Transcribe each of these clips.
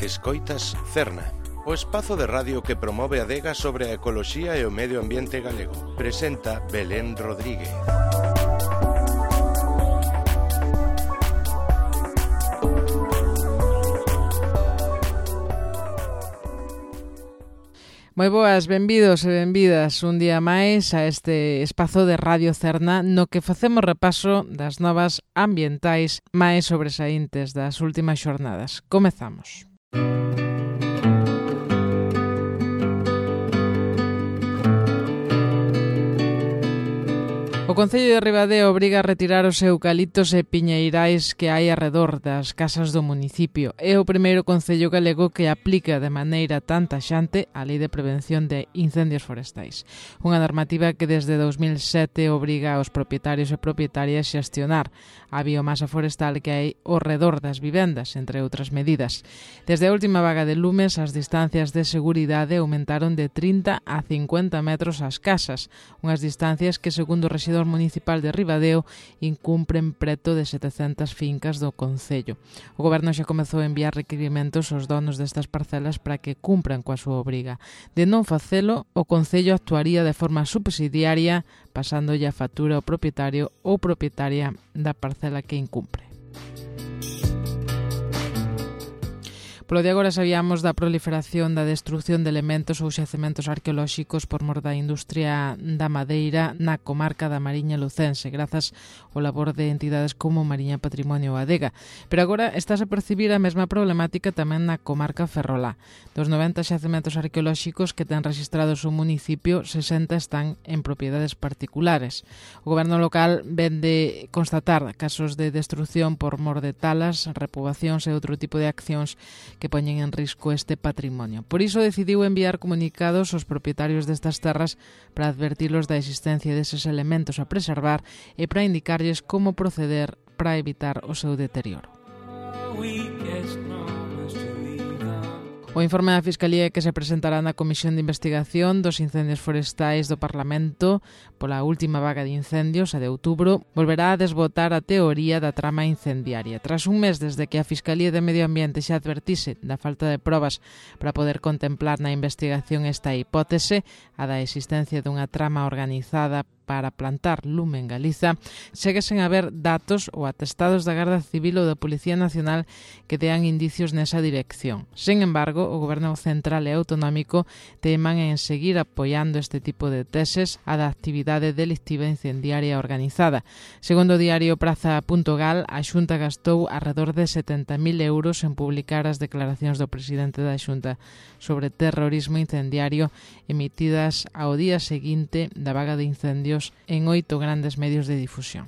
Escoitas Cerna, o espazo de radio que promove a adega sobre a ecoloxía e o medio ambiente galego. Presenta Belén Rodríguez. Moi boas, benvidos e benvidas un día máis a este espazo de Radio Cerna no que facemos repaso das novas ambientais máis sobresaíntes das últimas xornadas. Comezamos. O Concello de Ribadeo obriga a retirar os eucaliptos e piñeirais que hai arredor das casas do municipio. É o primeiro concello galego que aplica de maneira tan taxante a Lei de Prevención de Incendios Forestais. Unha normativa que desde 2007 obriga aos propietarios e propietarias a xestionar a biomasa forestal que hai ao redor das vivendas, entre outras medidas. Desde a última vaga de lumes, as distancias de seguridade aumentaron de 30 a 50 metros ás casas, unhas distancias que, segundo o rexedor municipal de Ribadeo, incumpren preto de 700 fincas do concello. O goberno xa comezou a enviar requirimentos aos donos destas parcelas para que cumpran coa súa obriga. De non facelo, o concello actuaría de forma subsidiaria, pasándolle a factura ao propietario ou propietaria da parcela que incumpre. Polo de agora sabíamos da proliferación da destrucción de elementos ou xacementos arqueolóxicos por mor da industria da madeira na comarca da Mariña Lucense, grazas ao labor de entidades como Mariña Patrimonio ou Adega. Pero agora estás a percibir a mesma problemática tamén na comarca ferrolá. Dos 90 xacementos arqueolóxicos que ten registrados o municipio, 60 están en propiedades particulares. O goberno local ven de constatar casos de destrucción por mor de talas, repobacións e outro tipo de accións que poñen en risco este patrimonio. Por iso decidiu enviar comunicados aos propietarios destas terras para advertilos da existencia deses elementos a preservar e para indicarlles como proceder para evitar o seu deterioro. O informe da Fiscalía que se presentará na Comisión de Investigación dos Incendios Forestais do Parlamento pola última vaga de incendios, a de outubro, volverá a desbotar a teoría da trama incendiaria. Tras un mes desde que a Fiscalía de Medio Ambiente xa advertise da falta de probas para poder contemplar na investigación esta hipótese, a da existencia dunha trama organizada para plantar lume en Galiza, segue sen haber datos ou atestados da Garda Civil ou da Policía Nacional que dean indicios nesa dirección. Sen embargo, o Goberno Central e Autonómico teman en seguir apoiando este tipo de teses a da actividade delictiva incendiaria organizada. Segundo o diario Praza.gal, a Xunta gastou arredor de 70.000 euros en publicar as declaracións do presidente da Xunta sobre terrorismo incendiario emitidas ao día seguinte da vaga de incendios en 8 grandes medios de difusión.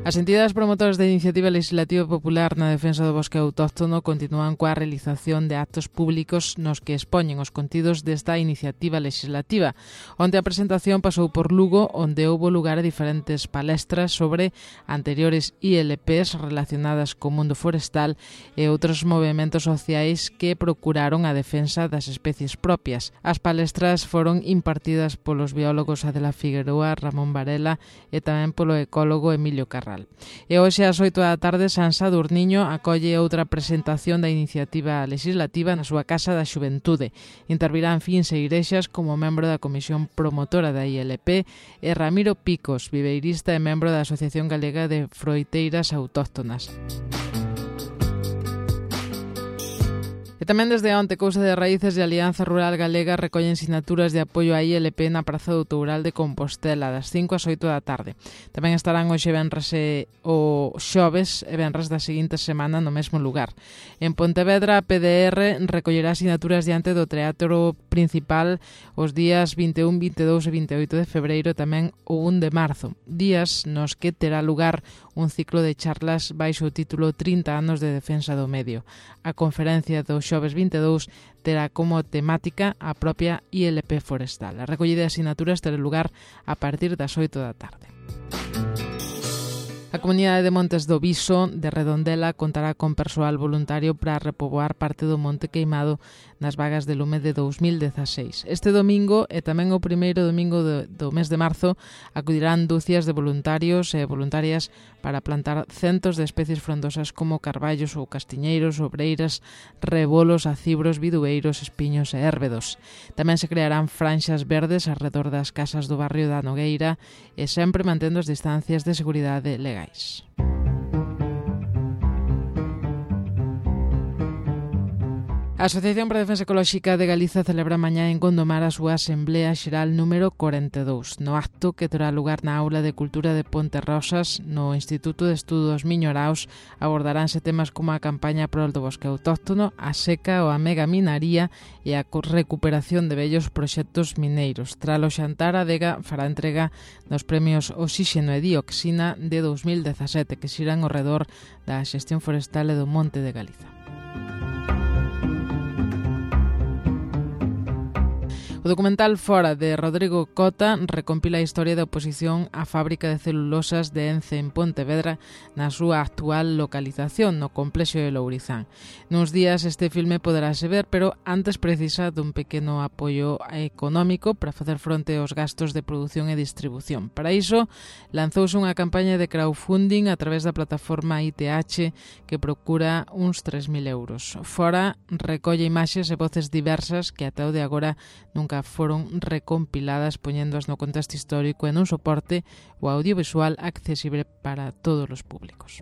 As entidades promotoras da Iniciativa Legislativa Popular na defensa do bosque autóctono continúan coa realización de actos públicos nos que expoñen os contidos desta iniciativa legislativa. Onde a presentación pasou por Lugo, onde houbo lugar a diferentes palestras sobre anteriores ILPs relacionadas co mundo forestal e outros movementos sociais que procuraron a defensa das especies propias. As palestras foron impartidas polos biólogos Adela Figueroa, Ramón Varela e tamén polo ecólogo Emilio Carral. E hoxe ás 8 da tarde San Sadurniño acolle outra presentación da iniciativa legislativa na súa Casa da Xuventude. Intervirán Fins e Irexas como membro da Comisión Promotora da ILP e Ramiro Picos, viveirista e membro da Asociación Galega de Froiteiras Autóctonas. E tamén desde onte Cousa de Raíces e Alianza Rural Galega recollen sinaturas de apoio á ILP na Praza do Toural de Compostela das 5 ás 8 da tarde. Tamén estarán hoxe venres e o xoves e venres da seguinte semana no mesmo lugar. En Pontevedra, a PDR recollerá sinaturas diante do Teatro Principal os días 21, 22 e 28 de febreiro, tamén o 1 de marzo, días nos que terá lugar un ciclo de charlas baixo o título 30 anos de defensa do medio. A conferencia do xoves 22 terá como temática a propia ILP forestal. A recollida de asinaturas terá lugar a partir das 8 da tarde. A comunidade de Montes do Viso de Redondela contará con persoal voluntario para repoboar parte do monte queimado nas vagas de lume de 2016. Este domingo e tamén o primeiro domingo do mes de marzo acudirán dúcias de voluntarios e voluntarias para plantar centos de especies frondosas como carballos ou castiñeiros, obreiras, rebolos, acibros, bidueiros, espiños e érbedos. Tamén se crearán franxas verdes arredor das casas do barrio da Nogueira e sempre mantendo as distancias de seguridade legais. A Asociación para a Defensa Ecolóxica de Galiza celebra mañá en Gondomar a súa Asamblea Xeral número 42. No acto que terá lugar na Aula de Cultura de Ponterrosas, no Instituto de Estudos Miñoraos, abordaránse temas como a campaña prol do bosque autóctono, a seca ou a megaminaría e a recuperación de vellos proxectos mineiros. Tras o xantar, a Adega fará entrega dos premios Oxíxeno e Dioxina de 2017, que xiran ao redor da xestión forestal e do Monte de Galiza. O documental Fora, de Rodrigo Cota, recompila a historia da oposición á fábrica de celulosas de Ence en Pontevedra na súa actual localización, no complexo de Lourizán. Nuns días este filme poderase ver, pero antes precisa dun pequeno apoio económico para facer fronte aos gastos de produción e distribución. Para iso, lanzouse unha campaña de crowdfunding a través da plataforma ITH que procura uns 3.000 euros. Fora recolle imaxes e voces diversas que ata o de agora nunca foron recompiladas, poñéndoas no contexto histórico en un soporte o audiovisual accesible para todos os públicos.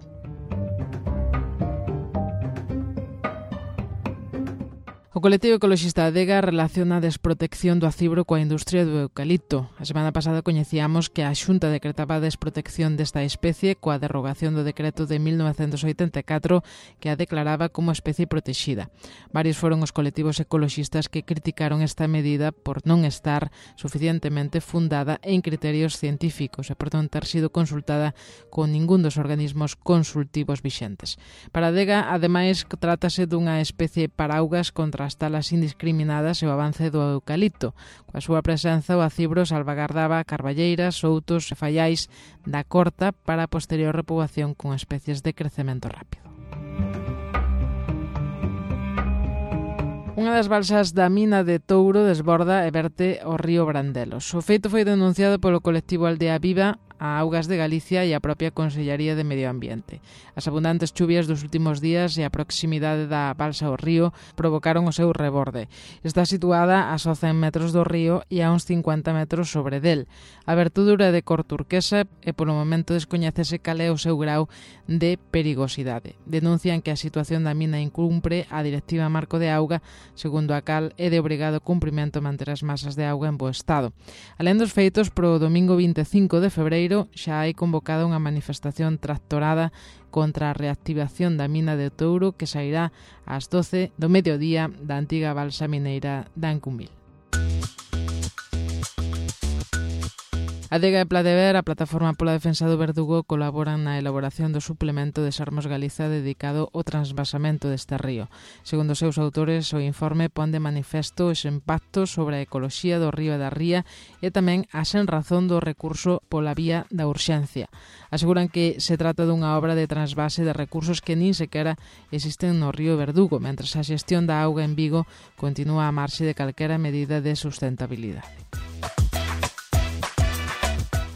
O colectivo ecoloxista Adega relaciona a desprotección do acibro coa industria do eucalipto. A semana pasada coñecíamos que a Xunta decretaba a desprotección desta especie coa derrogación do decreto de 1984 que a declaraba como especie protexida. Varios foron os colectivos ecoloxistas que criticaron esta medida por non estar suficientemente fundada en criterios científicos e por non ter sido consultada con ningún dos organismos consultivos vixentes. Para Adega, ademais, trátase dunha especie paraugas contra as talas indiscriminadas e o avance do eucalipto. Coa súa presenza, o acibro salvagardaba carballeiras, soutos e fallais da corta para a posterior repoboación con especies de crecemento rápido. Unha das balsas da mina de Touro desborda e verte ao río Brandelos. O feito foi denunciado polo colectivo Aldea Viva a Augas de Galicia e a propia Consellería de Medio Ambiente. As abundantes chuvias dos últimos días e a proximidade da balsa ao río provocaron o seu reborde. Está situada a só 100 metros do río e a uns 50 metros sobre del. A abertura de cor turquesa e polo momento descoñecese cal é o seu grau de perigosidade. Denuncian que a situación da mina incumpre a Directiva Marco de Auga, segundo a cal é de obrigado cumprimento manter as masas de auga en bo estado. Alén dos feitos, pro domingo 25 de febreiro xa hai convocada unha manifestación tractorada contra a reactivación da mina de Touro que sairá ás 12 do mediodía da antiga balsa mineira de Ancumbil. Adega e Pladever, a Plataforma pola Defensa do Verdugo, colaboran na elaboración do suplemento de Sarmos Galiza dedicado ao transvasamento deste río. Segundo os seus autores, o informe pon de manifesto os impactos sobre a ecoloxía do río e da ría e tamén a sen razón do recurso pola vía da urxencia. Aseguran que se trata dunha obra de transvase de recursos que nin sequera existen no río Verdugo, mentres a xestión da auga en Vigo continúa a marxe de calquera medida de sustentabilidade.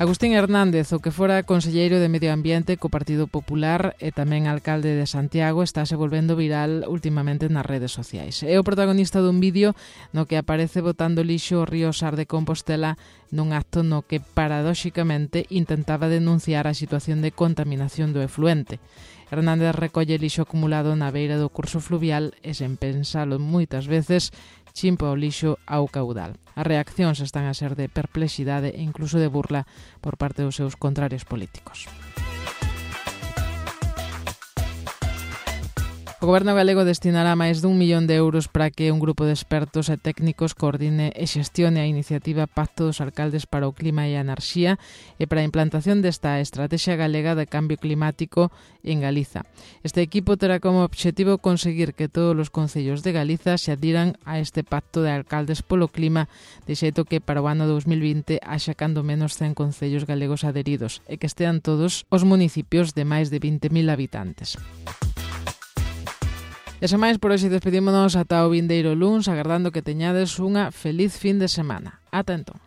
Agustín Hernández, o que fora conselleiro de Medio Ambiente co Partido Popular e tamén alcalde de Santiago, estáse volvendo viral últimamente nas redes sociais. É o protagonista dun vídeo no que aparece botando lixo ao río Sar de Compostela nun acto no que paradóxicamente intentaba denunciar a situación de contaminación do efluente. Hernández recolle lixo acumulado na beira do curso fluvial e, sen pensalo moitas veces, chimpa o lixo ao caudal. As reaccións están a ser de perplexidade e incluso de burla por parte dos seus contrarios políticos. O Goberno galego destinará máis d'1 millón de euros para que un grupo de expertos e técnicos coordine e xestione a iniciativa Pacto dos Alcaldes para o Clima e a Enerxía e para a implantación desta Estrategia Galega de Cambio Climático en Galiza. Este equipo terá como obxectivo conseguir que todos os concellos de Galiza se adhiran a este Pacto de Alcaldes polo Clima, de xeito que para o ano 2020 haxa cando menos 100 concellos galegos adheridos e que estean todos os municipios de máis de 20.000 habitantes. E sen máis, por hoxe despedímonos ata o vindeiro luns, agardando que teñades unha feliz fin de semana. Ata entón.